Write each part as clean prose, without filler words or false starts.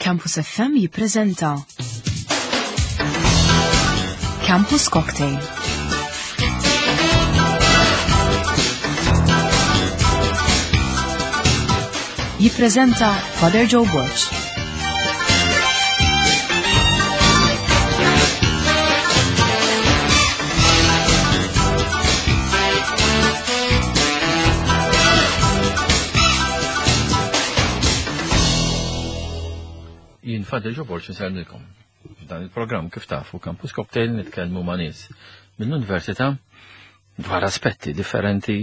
Campus FM jippreżenta Campus Cocktail. Jippreżenta Father Joe Borg. Jien Father Joe Borg nsellmilkom. F'dan il-programm kif tafu Campus Cocktail nitkellmu ma' nies mill-Università dwar aspetti differenti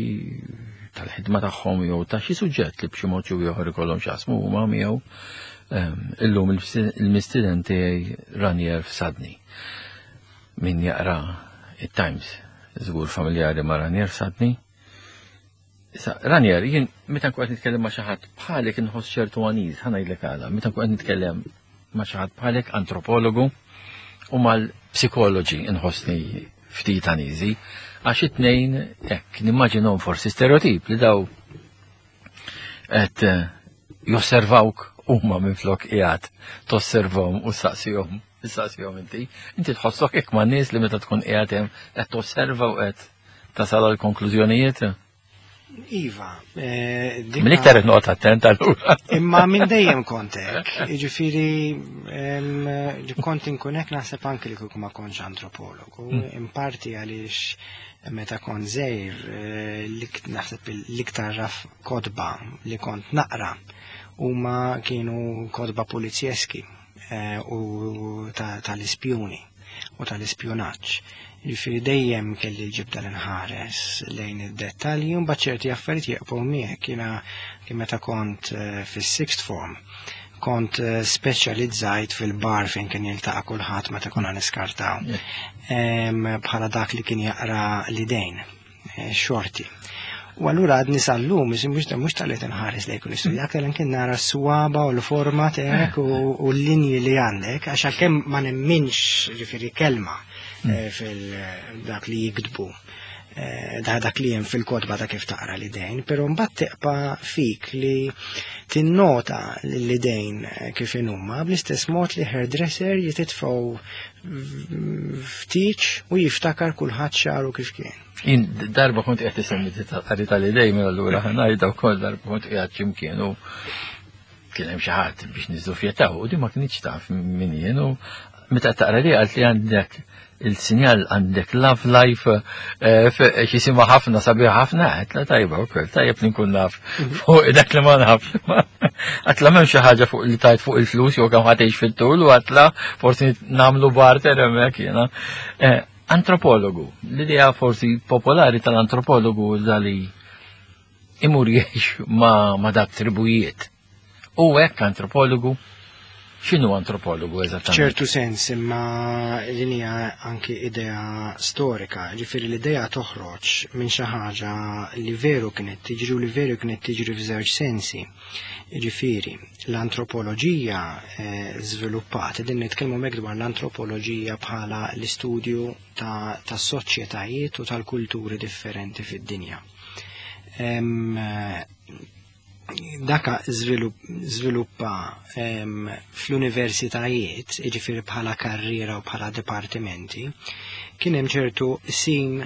tal-ħidma tagħhom jew ta' xi suġġett li b'xi mod jew ieħor ikollhom x'jaqsmu huma miegħu. Ehm, illum il-mistieden tiegħi Ranier Fsadni. Min jaqra it-Times żgur familjari ma' Ranier Fsadni. Issa, Ranier, jien meta nkun qed nitkellem ma' xi ħadd bħalek inħoss ċertu għaniż, ħa ngħidlek għala, meta nkun qed nitkellem ma' xi ħadd bħalek antropologu u mal-psikoloġi inħossni ftit għaniżi, għax it-tnejn hekk nimmaġinhom forsi stereotip li daw qed eh, josservawk huma minflok qiegħed tosservhom u saqsihom, saqsihom inti. Inti tħossok hekk ma' nies li meta tkun qiegħed hemm qed tosserva u qed tasal għal konklużjonijiet? Iva. Eh, minn iktar qed noqgħod attent allura. Imma minn dejjem kont hekk. Jiġifieri kont inkun hekk naħseb anki li kieku ma kontx antropologu. Hmm. In parti għaliex meta kont żgħir eh, naħseb l-iktar raf kotba li kont naqra huma kienu kotba polizjeski eh, u tal-ispjuni u tal-ispjunaġġ. Jiġifieri dejjem kelli l-ġibda li nħares lejn id-dettalji u mbagħad ċerti affarijiet jeqbgħu miegħek. Jiena kien meta kont eh, fis-sixth form kont eh, speċjalizzajt fil-bar fejn kien jiltaqa' kulħadd meta konna niskartaw. Bħala dak li kien jaqra l-idejn. Eh, xorti. U allura għadni sal-lum, mux tal-li tinħares lejk u nistudja, aktar kien nara s-swaba u l-forma tiegħek u l-linji li għandek, għax għalkemm ma nemminx ġifieri kelma mm. eh, fil-dak li jiktbu eh, da dak li hemm fil-kotba ta' kif taqra l-idejn, però mbagħad tiqpa fik li tinnota l-idejn kif inhuma bl-istess mod li hairdresser jititfgħu ftiċ u jiftakar kulħadd xaru kif kien. Jien darba kont qed isemmi qari tal-idej minn allura ngħidha wkoll darba kont qiegħed x'imkien u kien hemm xi ħadd biex niżdufjetaw u di ma kinitx taf min jien u meta taqra li qalt li għandek il-sinjal għandek love life eh, xisima ħafna sabiħ ħafna għetla tajba u koll, tajjeb li nkun naf mhm. fuq dak li ma naf. Għatla m'hemm xi ħaġa fuq li tajt fuq il-flus jew kemm ħatejx fit-tul u għatla forsi nagħmlu barter hemmhekk jiena. Eh, antropologu, l-idea forsi popolari tal-antropologu dali imur jgħix ma, ma dak tribujiet. U hekk antropologu X'inhu antropologu eżattament? Ċertu sens, imma din hija anki idea storika, ġifieri l-idea toħroġ minn xi ħaġa li veru kienet tiġri u li veru kienet tiġri f'żewġ sensi. Ġifieri, l-antropoloġija eh, żviluppat, din nitkellmu hekk dwar l-antropoloġija bħala l-istudju ta' tas-soċjetajiet u tal-kulturi differenti fid-dinja. Daka żviluppa fl-universitajiet, jiġifieri bħala karriera u bħala dipartimenti, kien hemm ċertu sim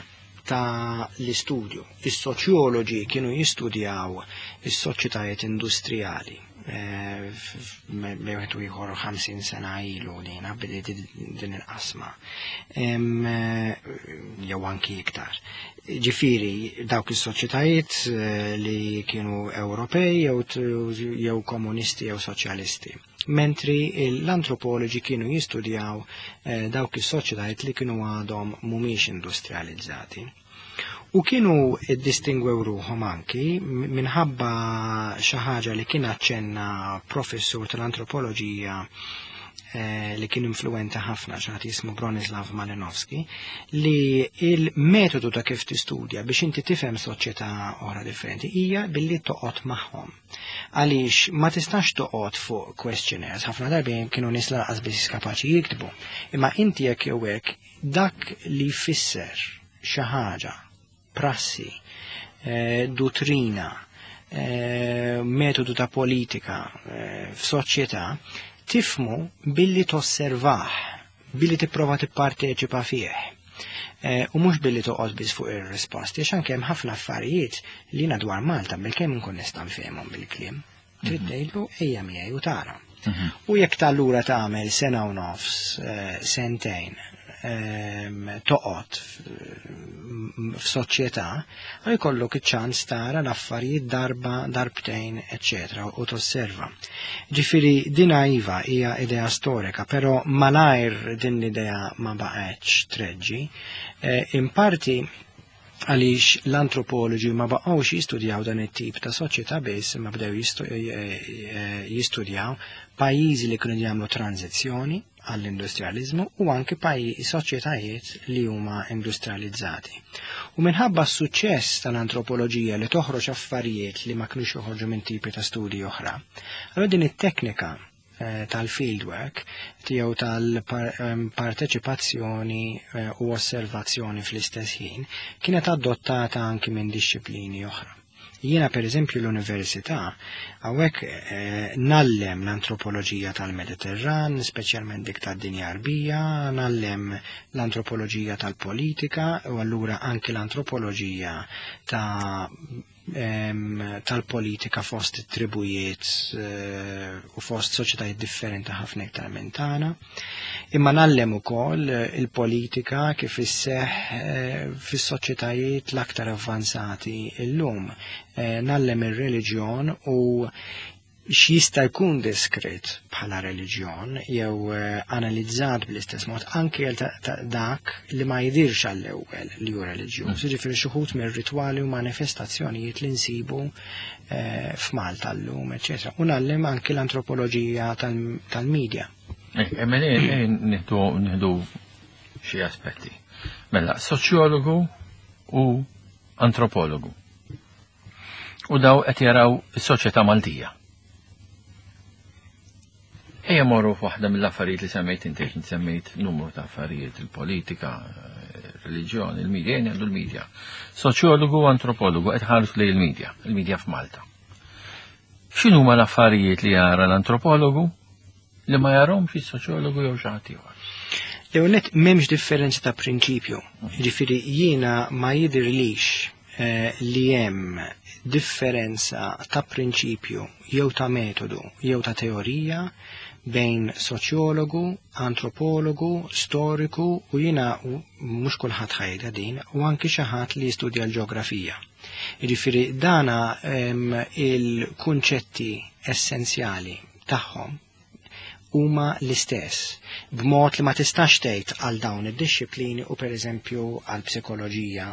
ta' l-istudju. Is-soċjoloġi kienu jistudjaw is-soċjetajiet industrijali. Eh, bejn wieħed u ieħor 50 sena ilu dina bdiet din il-qasma. Eh, jew anki iktar. Ġifieri dawk is-soċjetajiet eh, li kienu Ewropej jew komunisti jew soċjalisti. Mentri l-antropoloġi kienu jistudjaw dawk is-soċjetajiet li kienu għadhom mhumiex industrializzati. U kienu ddistingwew ruħhom anki minħabba xi ħaġa li kien aċċenna professur tal-antropoloġija eh, li kien influenti ħafna xi ħadd jismu Bronislav Malinowski, li il-metodu ta' kif tistudja biex inti tifhem soċjetà oħra differenti hija billi toqgħod magħhom. Għaliex ma tistax toqgħod fuq questionnaires, ħafna darbi kienu nies lanqas biss kapaċi jiktbu. Imma inti jekk jew hekk dak li jfisser xi ħaġa, prassi, eh, duttrina, eh, metodu ta' politika eh, f'soċjetà, Tifhmu billi tosservah, billi tipprova tipparteċipa fih. U mhux billi toqgħod biss fuq ir-risposti, għax anke hemm ħafna affarijiet li jiena dwar Malta bilkemm nkun nista' nfehmhom bil-kliem. Trid tgħidlu ejja miegħi u tara. U jekk tal-lura tagħmel sena u nofs, sentejn, toqgħod f'soċjetà, jkollok iċ-ċans tara l-affarijiet darba, darbtejn, eċċetera, u tosserva. Ġifieri dina iva hija idea storika, però malajr din l-idea ma baqgħetx treġġi. In parti għaliex l-antropologi ma baqgħux jistudjaw dan it-tip ta' soċjetà biss, imma bdew jistudjaw pajjiżi li kienu jagħmlu tranzizzjoni għall-industrializmu u anki soċjetajiet li huma industrializzati. U minħabba s-suċċess tal-antropoloġija li toħroġ affarijiet li ma kinux joħorġu minn tipi ta' studji oħra, allura din it-teknika tal-fieldwork tiegħu tal-parteċipazzjoni u osservazzjoni fl-istess ħin kienet adottata anki minn dixxiplini oħra. Jiena per eżempju l-università hawnhekk ngħallem l-antropoloġija tal-Mediterran, speċjalment dik tad-dinja Għarbija, ngħallem l-antropoloġija tal-politika u allura anki l-antropoloġija tal-politika fost tribujiet u fost soċjetajiet differenti ħafna iktar minn tagħna. Imma ngħallem ukoll il-politika kif isseħħ fis-soċjetajiet l-aktar avvanzati illum. Ngħallem ir-reliġjon u x'jista' jkun diskrit bħala reliġjon jew analizzat bl-istess mod anke għal dak li ma jidirx għall-ewwel li hu reliġjuż. Jiġifieri xi wħud mir-ritwali u manifestazzjonijiet li nsibu f'Malta llum, eċċetera. U ngħallem anke l-antropoloġija tal-medja. Nieħdu xi aspetti. Mela, soċjologu u antropologu. U daw qed jaraw is-soċjetà Maltija. Ejja morru f'waħda mill-affarijiet li semmejt inti, inti semmejt numru ta' affarijiet, il-politika, il-reliġjon, il-medja, ejja nieħdu l-medja. Soċjologu u antropologu qed ħarsu lejn il-medja, il-medja f'Malta. X'inhuma l-affarijiet li jara l-antropologu li ma jarahomx is-soċjologu jew xi ħadd ieħor? Jew net m'hemmx differenza ta' prinċipju. Ġifieri jiena ma jidhirlix li hemm differenza ta' prinċipju jew ta' metodu jew ta' teorija bejn soċjologu, antropologu, storiku u jiena mhux kulħadd ħajda din u anki xi ħadd li jistudja l-ġeografija. Jiġifieri dana il-kunċetti essenzjali tagħhom huma l-istess, b'mod li ma tistax tgħid għal dawn id-dixxiplini u pereżempju għal psikoloġija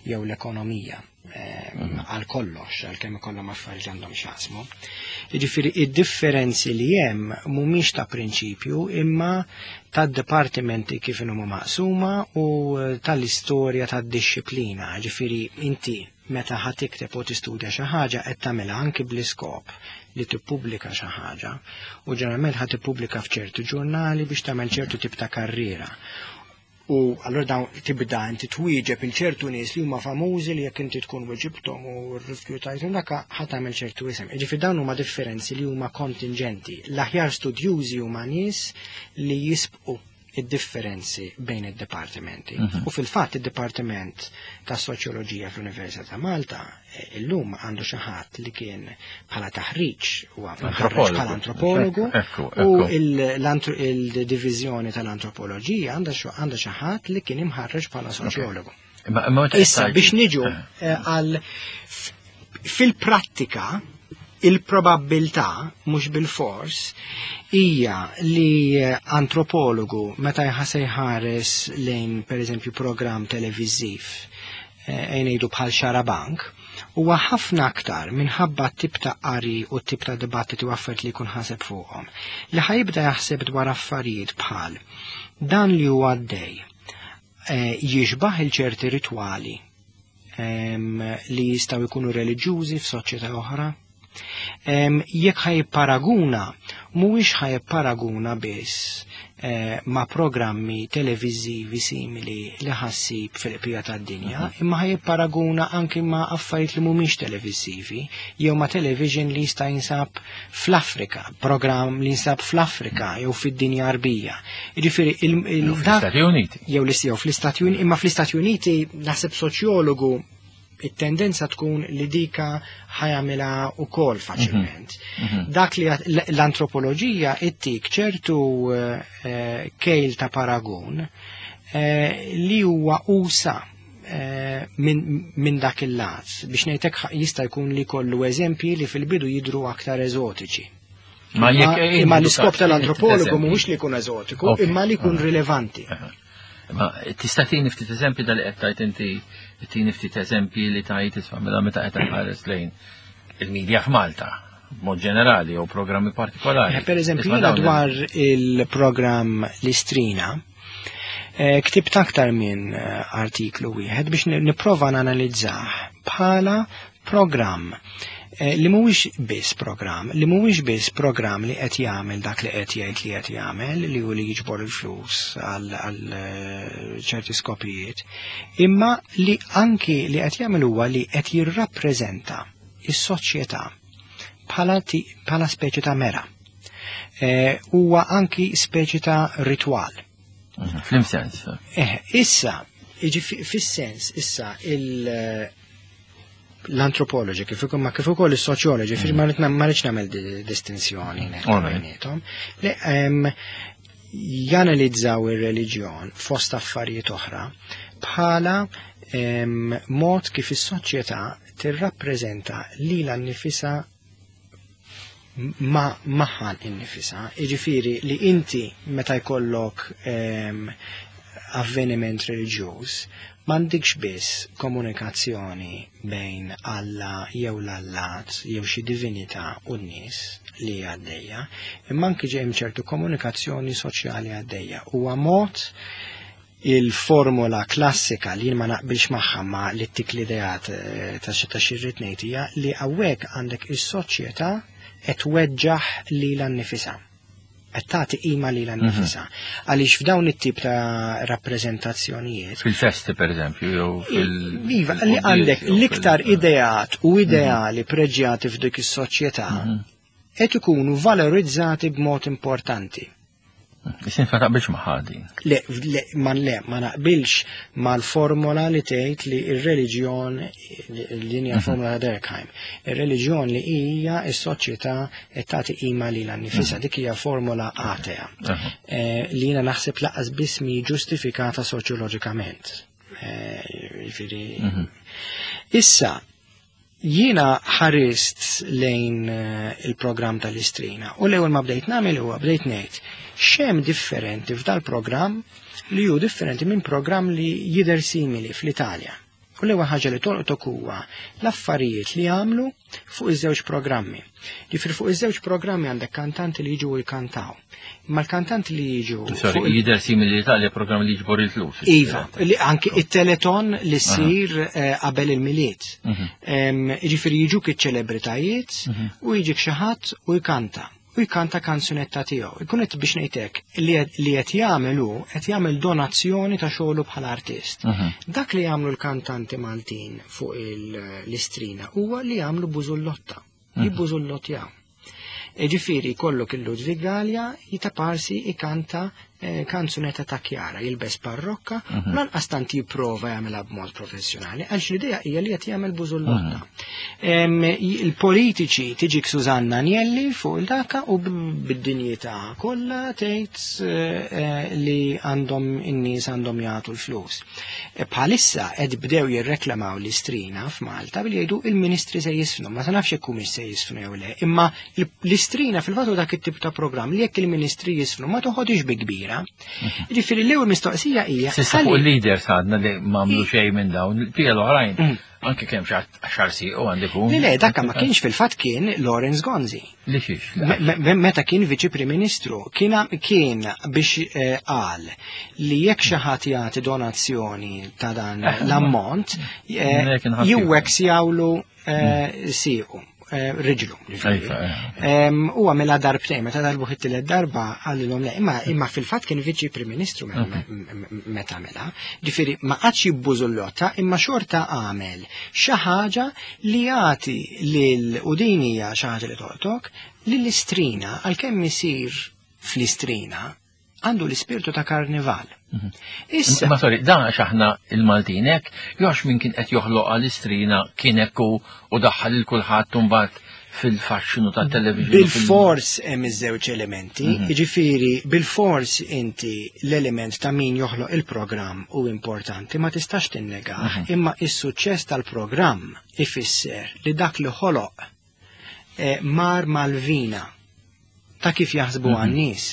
jew l-ekonomija għal kollox, għal kemm ikollhom affarijiet għandhom x'jaqsmu. Jiġifieri id-differenzi li hemm mhumiex ta' prinċipju imma tad-dipartimenti kif inhuma maqsuma u tal-istorja tad-dixxiplina. Jiġifieri inti meta ħa tikteb u tistudja xi ħaġa qed tagħmilha anki bl-iskop li tippubblika xi ħaġa u ġeneralment ħa tippubblika f'ċertu ġurnali biex tagħmel ċertu tip ta' karriera. U allura dawn tibda inti twieġeb il ċertu nies li huma famużi li jekk inti tkun weġibthom u rrifjutajthom dak ħa tagħmel ċertu isem. Jiġifieri dawn huma differenzi li huma kontingenti. L-aħjar studjużi huma nies li jisbqu id-differenzi bejn id-dipartimenti. U fil-fatt id-Dipartiment ta' Soċjoloġija fl-Università ta' Malta illum għandu xi ħadd li kien bħala taħriġ u Antropologu. bħala antropologu u il-diviżjoni tal-antropoloġija għandha xi ħadd li kien imħarreġ bħala soċjologu. Imma meta Issa tgħid- biex niġu għal fil-prattika il-probabbiltà mhux bil-fors hija li antropologu meta jħasse jħares lejn pereżempju programm televiżiv ngħidu bħal Xarabank, huwa ħafna aktar minħabba t-tip ta' qari u t-tip ta' dibattiti u affarijiet li jkun ħaseb fuqhom, li ħajibda jaħseb dwar affarijiet bħal dan li huwa għaddej jixbaħ il-ċerti ritwali li jistgħu jkunu reliġjużi f'soċjetà oħra. Jekk ħa jipparaguna, mhuwiex ħa jipparaguna biss ma' programmi televiżivi simili li ħa ssib fil-qbija tad-dinja, imma ħa jipparaguna anki ma' affarijiet li mhumiex televiżivi jew ma' television li jista' jinsab fl-Afrika, programm li jinsab fl-Afrika jew fid-dinja Għarbija. Jiġifieri il Stati Uniti. Jew jew fl-Istati Uniti, imma fl-Istati Uniti naħseb soċjologu it-tendenza tkun li dika ħa jagħmilha ukoll faċilment. Dak li l-antropoloġija ittik ċertu kejl ta' paragun li huwa usa minn dak il-lat. Biex ngħidlek, jista' jkun li kollu eżempji li fil-bidu jidru aktar eżotiċi. Ma jekk Imma l-iskop tal-antropologu mhuwiex li jkun eżotiku, imma li jkun rilevanti. Ma tista' tini ftit eżempji dal qed tajt inti, tini ftit eżempji li tajt isma' mela meta qed ħares lejn il-medja f'Malta b'mod ġenerali jew programmi partikolari. Per eżempju, jiena dwar il-programm L-Istrina, ktibt aktar minn artiklu wieħed biex nipprova nanalizzah bħala programm li mhuwiex biss programm, li mhuwiex biss programm li qed jagħmel dak li qed jgħid li qed jagħmel, li hu li jiġbor il-flus għal ċerti skopijiet, imma li anki li qed jagħmel huwa li qed jirrappreżenta is-soċjetà bħala speċi ta' mera. Huwa anki speċi ta' ritwal. F'liem sens? Issa, fis-sens, issa l-antropologi kif ukoll ma kif ukoll is-soċjoloġi, mm. ma rridx nagħmel distinzjoni bejniethom, li janalizzaw ir-reliġjon fost affarijiet oħra bħala mod kif is-soċjetà tirrappreżenta lilha nnifisha ma magħha nnifisha. Jiġifieri li inti meta jkollok avveniment reliġjuż, m'għandikx biss komunikazzjoni bejn Alla jew l-allat jew xi divinità u n-nies li għaddejja, imma anki hemm ċertu komunikazzjoni soċjali għaddejja. Huwa mod il-formula klassika li ma naqbilx magħha ma li ttik l-ideat ta' xi rrid ngħid hija li hawnhekk għandek is-soċjetà qed tweġġaħ lilha nnifisha. Qed tagħti qima lilha nnifisha. Għaliex f'dawn it-tip ta' rappreżentazzjonijiet. Fil-festi pereżempju jew fil- Iva, li għandek l-iktar ideat u ideali preġjati f'dik is-soċjetà qed ikunu valorizzati b'mod importanti. Isin ma taqbilx ma' ħadi. Le, le, ma le, ma naqbilx mal-formola li tgħid li ir-reliġjon li hija formula ta' Durkheim. Ir-reliġjon li hija s-soċjetà qed tagħti qima lilha nnifisha, dik hija formola atea. Li jiena naħseb lanqas biss mi ġustifikata soċjoloġikament. Jiġifieri. Issa, jiena ħarist lejn il-programm tal-Istrina u l-ewwel ma bdejt nagħmel huwa bdejt ngħid x'hemm differenti f'dal-programm li hu differenti minn programm li jidher simili fl-Italja. U l-ewwel ħaġa li tolqtok huwa l-affarijiet li għamlu fuq iż-żewġ programmi. Ġifieri fuq iż-żewġ programmi għandek kantanti li jiġu jkantaw. Imma l-kantanti li jiġu Sorry, jidher simili l-Italja programm li jiġbor il-flus. Iva, li anki it-teleton li ssir qabel il-Milied. Ġifieri jiġuk iċ-ċelebritajiet u jiġik xi ħadd u jkanta. U jkanta kanzunetta tiegħu. Ikun qed biex ngħidlek li qed jagħmel hu qed jagħmel donazzjoni ta' xogħlu bħala artist. Dak li jagħmlu l-kantanti Maltin fuq l-Istrina huwa li jagħmlu bużullotta. Jibbużullottjaw. Ġifieri kollok il-Ludwig Galea jitaparsi ikanta kanzunetta ta' Chiara, jilbes parrokka, u lanqas tant jipprova jagħmilha b'mod professjonali, għaliex l-idea hija li qed jagħmel bużullotta. Il-politiċi tiġik Susanna Agnelli fuq il-daka u bid-dinjità kollha tgħid li għandhom in-nies għandhom jagħtu l-flus. Bħalissa qed bdew jirreklamaw l-Istrina f'Malta billi jgħidu il-ministri se jisfnu, ma nafx jekk humiex se jisfnu jew le, imma l-Istrina fil-fatt dak it-tip ta' programm li jekk il-ministri jisfnu ma toħodix bi kbira. Ġifieri l-ewwel mistoqsija hija S'issa fuq il-leaders għadna li m'għamlu xejn minn dawn, il-pija l-oħrajn anke kemm xar u għandi kun. Le, dakka ma kienx, fil-fatt kien Lawrence Gonzi. Li xiex? Meta kien viċi Prim Ministru, kien biex qal li jekk xi ħadd jagħti donazzjoni ta' dan l-ammont, jewek jawlu siequ. riġlu. U għamilha darbtejn, meta darbu it-tielet darba qalilhom le, imma fil-fatt kien viċi Prim Ministru meta għamilha. Ġifieri ma qatx jibbużullotta imma xorta għamel xi ħaġa li jagħti lil u din hija xi ħaġa li tolqtok lill-Istrina għalkemm isir fl-Istrina għandu l-ispirtu ta' karnival. Issa. Ma sorry, dan għax aħna il-Maltin hekk, jew għax min kien qed joħloq għall-Istrina kien hekk u daħħal lil kulħadd imbagħad fil-faxxinu tat-television. Bil-fors hemm iż-żewġ elementi, jiġifieri bil-fors inti l-element ta' min joħloq il-programm hu importanti, ma tistax tinnegah, imma is-suċċess tal-programm ifisser li dak li ħoloq mar mal-vina ta' kif jaħsbu għan-nies.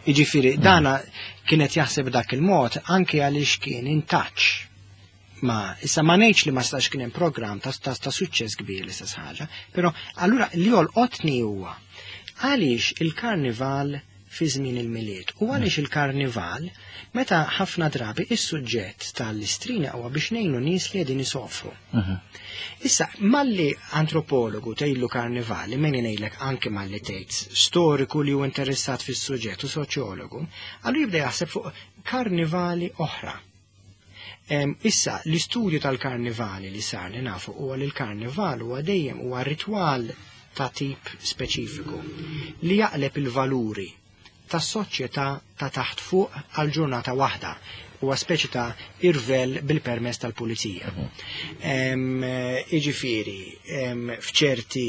Jiġifieri dana kienet jaħseb dak il-mod anke għaliex kien in touch ma issa ma ngħidx li ma stax kien hemm programm ta', ta, ta suċċess kbir l-istess ħaġa, però allura li jolqotni huwa għaliex il-karnival fi żmien il-Milied u għaliex il-karnival meta ħafna drabi is-suġġett tal-Istrina huwa biex ngħinu nies li qegħdin isofru. Issa, malli antropologu tgħidlu karnival, li meni ngħidlek anke malli tgħid storiku li hu interessat fis-suġġett u soċjologu, allura jibda jaħseb fuq karnivali oħra. Issa, l-istudju tal-karnivali li sar li nafu huwa li l-karnival huwa dejjem huwa ritwal ta' tip speċifiku li jaqleb il-valuri tas-soċjetà ta' taħt fuq għal ġurnata waħda. Huwa speċi ta' irvell bil-permess tal-pulizija. Jiġifieri, f'ċerti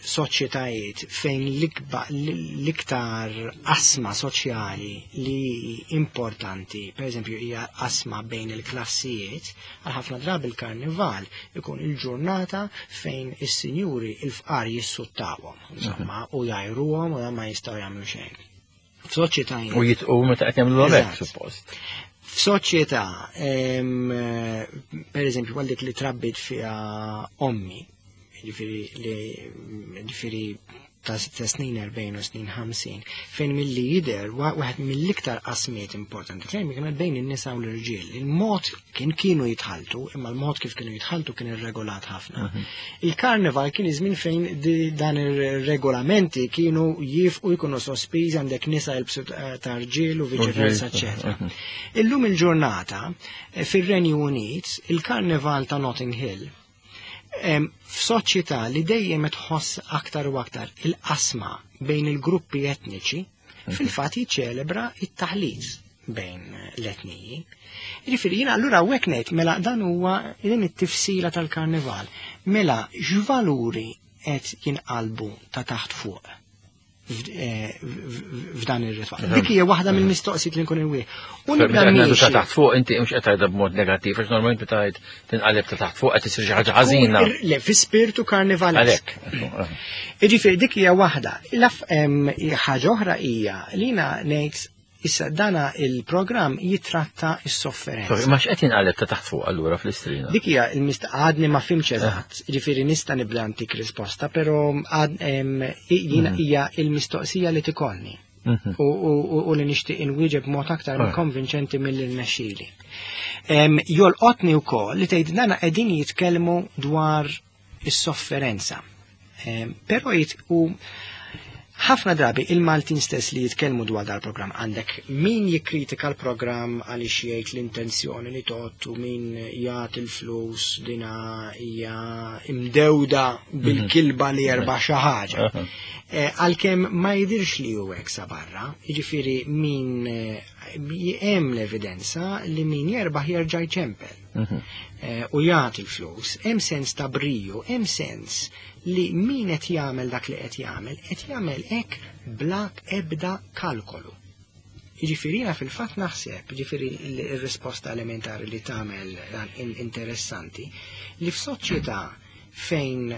soċjetajiet fejn l-iktar qasma soċjali li importanti, per eżempju, hija qasma bejn il-klassijiet, għal ħafna drabi il-karnival ikun il-ġurnata fejn is-sinjuri il-fqar jissuttawhom, insomma, u jgħajruhom u ma jistgħu jagħmlu xejn. F'soċjetajiet. U jitqu meta qed jagħmlu hekk, suppost. F'soċjetà, per eżempju, għal dik li trabbit fiha ommi, ġifieri ta' snin 40 u snin 50, fejn milli jidher waħed mill-iktar qasmiet importanti fejn kienet bejn in-nisa u l-irġiel. Il-mod kien kienu jitħaltu, imma l-mod kif kienu jitħaltu kien irregolat ħafna. Il-karnival kien iż-żmien fejn dan ir-regolamenti kienu jifqu jkunu sospiżi, għandek nisa jilbsu ta' rġiel u viċi versa, eċetera. Illum il-ġurnata fir-Renju Unit, il-karnival ta' Notting Hill, f'soċjetà li dejjem tħoss aktar u aktar il-qasma bejn il-gruppi etniċi, fil-fatt jiċċelebra it-taħlit bejn l-etniji. Jiġifieri jiena allura hawnhekk ngħid mela dan huwa din it-tifsila tal-karnival. Mela x'valuri qed jinqalbu ta' taħt fuq f'dan ir-ritwal. Dik hija waħda mill-mistoqsijiet li nkun inwieħ. U nibda ta' taħt fuq inti mhux qed tgħidha b'mod negattiv għax normalment meta tgħid tinqaleb ta' taħt fuq qed isir xi ħaġa ħażina. Le, fi spirtu karnivalesk. Jiġifieri dik hija waħda. Ħaġa oħra hija li jiena ngħid issa dana il-programm jitratta s-sofferenza. Ma x'qed jinqaleb ta' taħt fuq allura fl-Istrina? Dik hija għadni ma fimx eżatt, ġifieri nista' nibda ntik risposta, però jiena hija il-mistoqsija li tikolni. U li nixtieq inwieġeb b'mod aktar konvinċenti milli rnexxieli. Jolqotni wkoll li tgħid dana qegħdin jitkellmu dwar is-sofferenza. Però u ħafna drabi il-Maltin stess li jitkellmu dwar dal-programm, għandek min jikkritika l-programm għaliex jgħid l-intenzjoni li tgħottu min jagħti l-flus dina hija imdewda bil-kilba li jerbaħ xi ħaġa. Għalkemm ma jidhirx li hu hekk sa barra, jiġifieri min hemm l-evidenza li min jerbaħ jerġa' jċempel. U jagħti l-flus, hemm sens ta' briju, hemm sens li min qed jagħmel dak li qed jagħmel, qed jagħmel hekk bla ebda kalkolu. Jiġifieri jiena fil-fatt naħseb, jiġifieri r-risposta elementari li tagħmel dan interessanti, li f'soċjetà fejn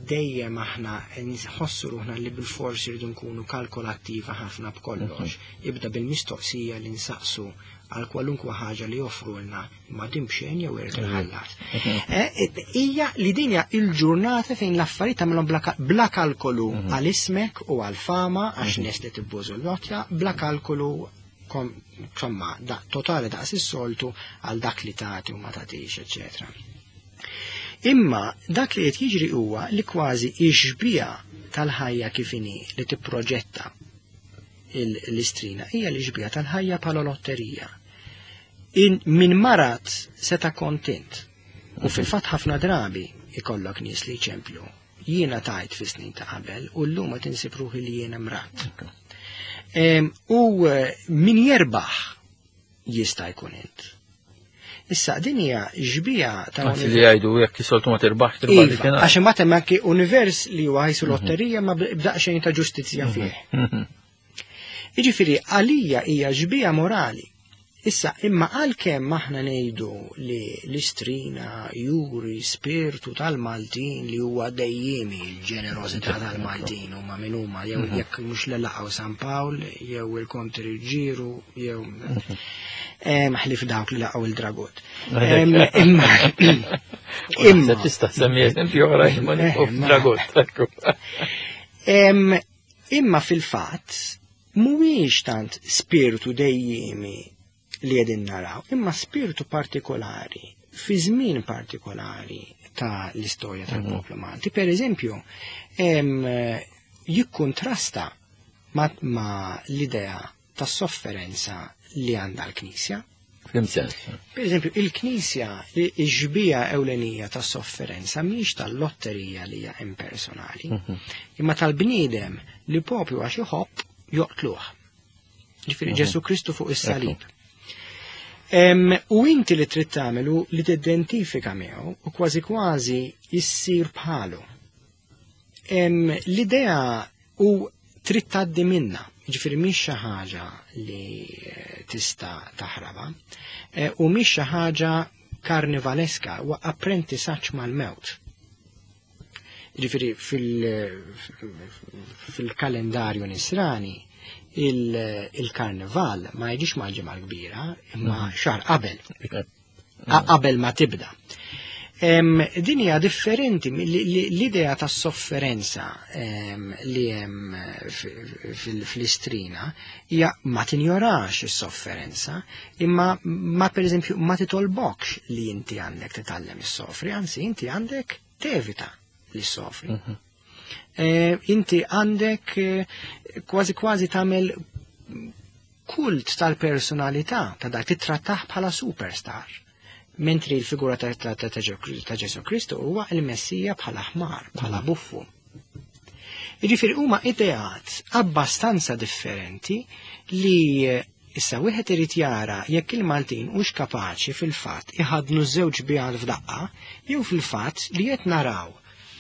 dejjem aħna nħossu ruħna li bil-fors irridu nkunu kalkolattiva ħafna b'kollox, ibda bil-mistoqsija li nsaqsu għal kwalunkwe ħaġa li joffrulna ma din b'xejn jew irid inħallas. Hija li din hija il-ġurnata fejn l-affarijiet tagħmilhom bla kalkolu għal ismek u għal fama għax nies li tibbużu l-lotja, bla kalkolu insomma, totali daqs is-soltu għal dak li tagħti u ma tagħtix, eċetera. Imma dak li qed jiġri huwa li kważi ix-xbieha tal-ħajja kif inhi li tipproġetta l-Istrina hija l-ixbieha tal-ħajja bħala lotterija. Min marat seta' kontent. U fil-fatt ħafna drabi ikollok nies li jċemplu. Jiena tajt fi snin ta' qabel u llum qed insib ruħi li jiena mrat. U min jerbaħ jista' jkun int. Issa din hija xbieha ta' Anzi li jgħidu jekk is-soltu ma tirbaħx tirbaħ Iva, dik kien. għax imbagħad hemm anki univers li huwa ħajsu lotterija ma b'daqsxejn ta' ġustizzja fih. Jiġifieri għalija hija xbieha morali. Issa, imma għalkemm aħna ngħidu li l-Istrina juri spirtu tal-Maltin li huwa dejjimi l-ġenerożità tal-Maltin huma min huma jew jekk mhux li laqgħu San Pawl jew il-Konti Ruġġieru jew ħlief dawk li laqgħu il-Dragut. Imma imma tista' semmi eżempju oħra imma Dragut. Imma fil-fatt mhuwiex tant spiritu dejjimi li qegħdin naraw, imma spiritu partikolari, fi żmien partikolari ta' l-istorja tal-poplu Malti. Per eżempju, jikkontrasta ma l-idea ta' sofferenza li għandha l-Knisja. F'lim sens? Per eżempju, il-Knisja, ix-xbieha ewlenija ta' sofferenza mhix tal-lotterija li hija impersonali, imma tal-bniedem li popju għax iħobb joqtluh. Ġifieri Ġesu Kristu fuq is-salib. U inti li trid tagħmelu li tidentifika miegħu u kważi kważi issir bħalu. L-idea u trid tgħaddi minna, ġifieri mhix xi ħaġa li tista' taħrabha, u mhix xi ħaġa karnivaleska, huwa apprentisaġġ mal-mewt. Ġifieri fil-kalendarju nisrani il-karnival ma jiġix mal-Ġimgħa l-Kbira, imma xahar qabel. Qabel ma tibda. Din hija differenti l-idea ta' sofferenza li hemm fl-Istrina hija ma tinjorax is-sofferenza, imma ma pereżempju ma titolbokx li inti għandek titgħallem is-sofri, anzi inti għandek tevita li sofri. Inti għandek kważi kważi tagħmel kult tal-personalità ta' dak titrattah bħala superstar. Mentri l-figura ta' Ġesu Kristu huwa il-Messija bħala ħmar, bħala buffu. Jiġifieri huma ideat abbastanza differenti li issa wieħed irid jara jekk il-Maltin hux kapaċi fil-fatt iħadnu żewġ xbihat f'daqqa jew fil-fatt li qed naraw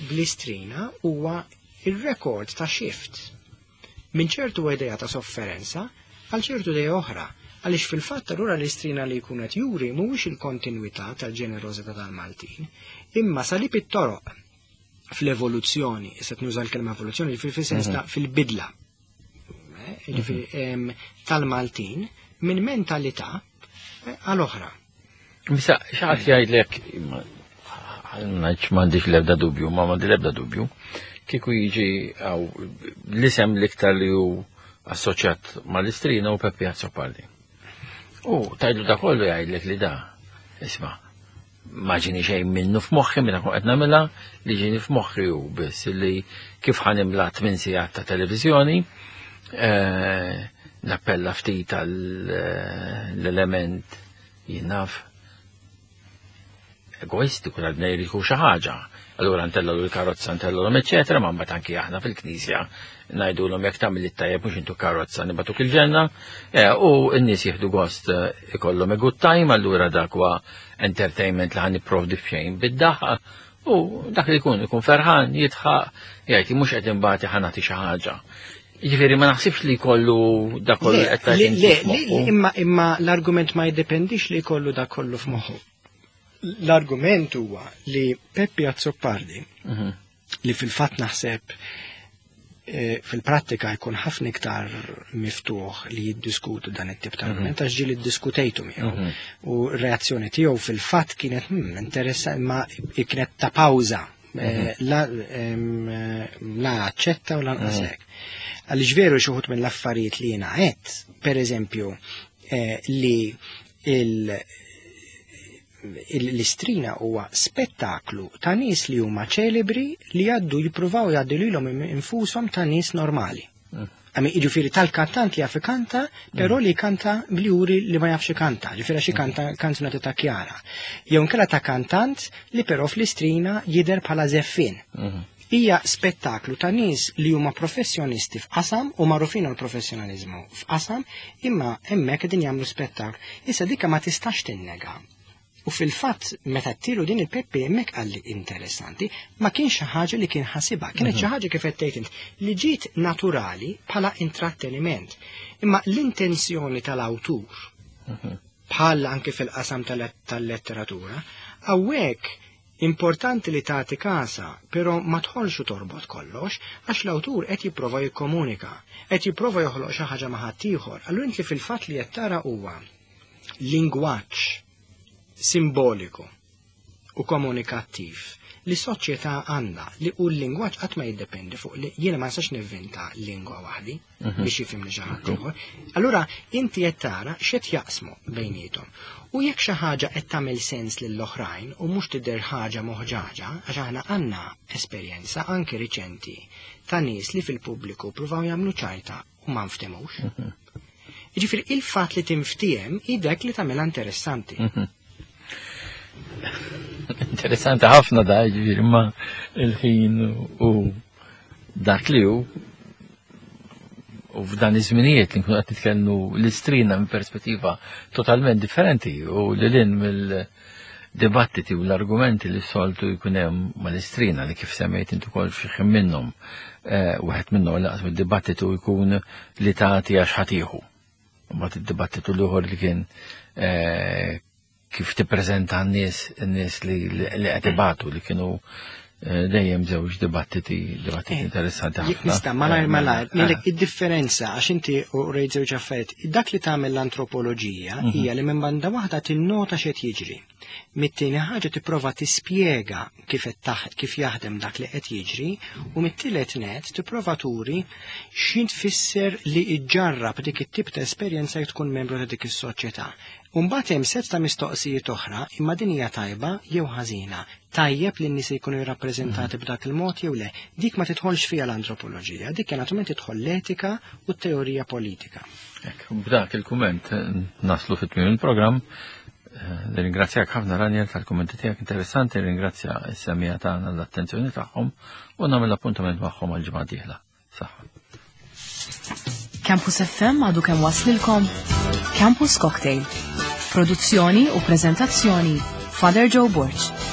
bl-Istrina huwa il-rekord ta' shift minn ċertu idea ta' sofferenza għal ċertu idea oħra, għaliex fil-fatt allura l-Istrina li jkun qed juri mhuwiex il-kontinwità tal-ġenerożità tal-Maltin, imma salib it-toroq fl-evoluzzjoni, issa nuża l-kelma evoluzzjoni, fil-sens ta' fil-bidla, jiġifieri, tal-Maltin minn mentalità għal oħra. Misa, xi ħadd jgħidlek, ngħidx m'għandix l-ebda dubju, ma m'għandi l-ebda dubju, kieku jiġi għaw l-isem l-iktar li hu assoċjat mal-Istrina u Peppi Azzopardi. U tgħidlu da kollu jgħidlek li da, isma', ma ġini xejn minnu f'moħħi minn qed nagħmilha, li ġini f'moħħi hu biss li kif ħa nimla 8 sigħat ta' televiżjoni, nappella ftit għall-element jinnaf egoistiku tal-bnej li xi ħaġa. Allura ntellgħu l-karozza, ntellgħu eċetera, ma mbagħad anki aħna fil-knisja ngħidulhom jekk tagħmel it-tajjeb mhux intu karozza nibagħtuk il-ġenna, u n-nies jieħdu gost ikollhom a good time, allura dak huwa entertainment li ħa nipprovdi f'xejn bid-daħqa, u dak li jkun ikun ferħan, jidħaq, jgħid mhux qed imbagħad ħa nagħti xi ħaġa. Jiġifieri ma naħsibx li jkollu dak kollu Le, qed tgħid le, inti le, f'moħħu. le, imma l-argument ma jiddependix li jkollu dak kollu f'moħħu. L-argument huwa li Peppi Azzopardi, li fil-fatt naħseb fil-prattika jkun ħafna iktar miftuħ li jiddiskutu dan it-tip ta' argument, għax ġieli ddiskutejtu miegħu. U r-reazzjoni tiegħu fil-fatt kienet interessanti, ma kienet ta' pawża. La aċċetta u lanqas hekk. Għaliex veru xi wħud mill-affarijiet li jiena għedt, per eżempju, li l-istrina huwa spettaklu ta' nies li huma ċelebri li jgħaddu jippruvaw jgħaddu lilhom infushom ta' nies normali. Għami ġifieri tal-kantant li jaf ikanta, però li kanta bli li ma jafx ikanta, ġifieri għax ikanta kanzunetta ta' Kjara. Jew inkella ta' kantant li però fl-istrina jidher bħala żeffien. Hija spettaklu ta' nies li huma professjonisti f'qasam u magħrufin għal professjonaliżmu f'qasam, imma hemmhekk qegħdin jagħmlu spettaklu. Issa dikka ma tistax tinnega. U fil-fatt meta tilu din il-Peppi hemmhekk qalli interessanti, ma kienx xi ħaġa li kien ħasibha, kienet xi ħaġa kif qed tgħid int li ġiet naturali bħala intratteniment. Imma l-intenzjoni tal-awtur bħal anke fil-qasam tal-letteratura, hawnhekk importanti li tagħti kasa, però ma tħolx u torbot kollox, għax l-awtur qed jipprova jikkomunika, qed jipprova joħloq xi ħaġa ma' ħaddieħor. Allura inti fil-fatt li qed tara huwa lingwaġġ simboliku u komunikattiv li soċjetà għandha li u l-lingwaġġ qatt ma jiddependi fuq li jiena ma nistax nivvinta lingwa waħdi biex jifhimni xi ħadd ieħor. Allura inti qed tara x'qed jaqsmu bejniethom. U jekk xi ħaġa qed tagħmel sens lill-oħrajn u mhux tidher ħaġa moħġaġa, għax aħna għandna esperjenza anke riċenti ta' nies li fil-pubbliku pruvaw jagħmlu ċajta u ma nftemux. Jiġifieri il-fatt li tinftiehem hi dak li tagħmilha interessanti. Interessanti ħafna da, ġifieri ma il-ħin u dak li hu u f'dan iż-żminijiet li nkunu qed nitkellmu l-istrina minn perspettiva totalment differenti u lil hinn mill-dibattiti u l-argumenti li soltu jkun hemm mal-istrina li kif semmejt intu kol xi ħin minnhom wieħed minnhom laqas id-dibattitu jkun li tagħti għax ħatiħu. Mbagħad id-dibattitu l-ieħor li kien kif tippreżenta n-nies n-nies li qed ibatu li kienu dejjem żewġ dibattiti dibattiti interessanti ħafna. Nista' malajr malajr, ngħidlek id-differenza għax inti u rejt żewġ affarijiet. Dak li tagħmel l-antropoloġija hija li minn banda waħda tinnota x'qed jiġri. Mit-tieni ħaġa tipprova tispjega kif qed kif jaħdem dak li qed jiġri u mit-tielet net tipprova turi x'in tfisser li ġġarrab dik it-tip ta' esperjenza jekk tkun membru ta' dik is-soċjetà. U mbagħad hemm sett ta' mistoqsijiet oħra imma din hija tajba jew ħażina. Tajjeb li n-nies jkunu jirrappreżentati b'dak il-mod jew le. Dik ma tidħolx fiha l-antropoloġija, dik naturalment tidħol l-etika u t-teorija politika. Ek, b'dak il-kumment naslu fit-tmiem il-programm. Nirringrazzjak ħafna Ranier tal-kummenti tiegħek interessanti, nirringrazzja s-semija tagħna l-attenzjoni tagħhom u nagħmel appuntament magħhom għal ġimgħa dieħla. Saħħa. Campus FM għadu kemm waslilkom Campus Cocktail. Produzzjoni u prezentazzjoni Father Joe Borg.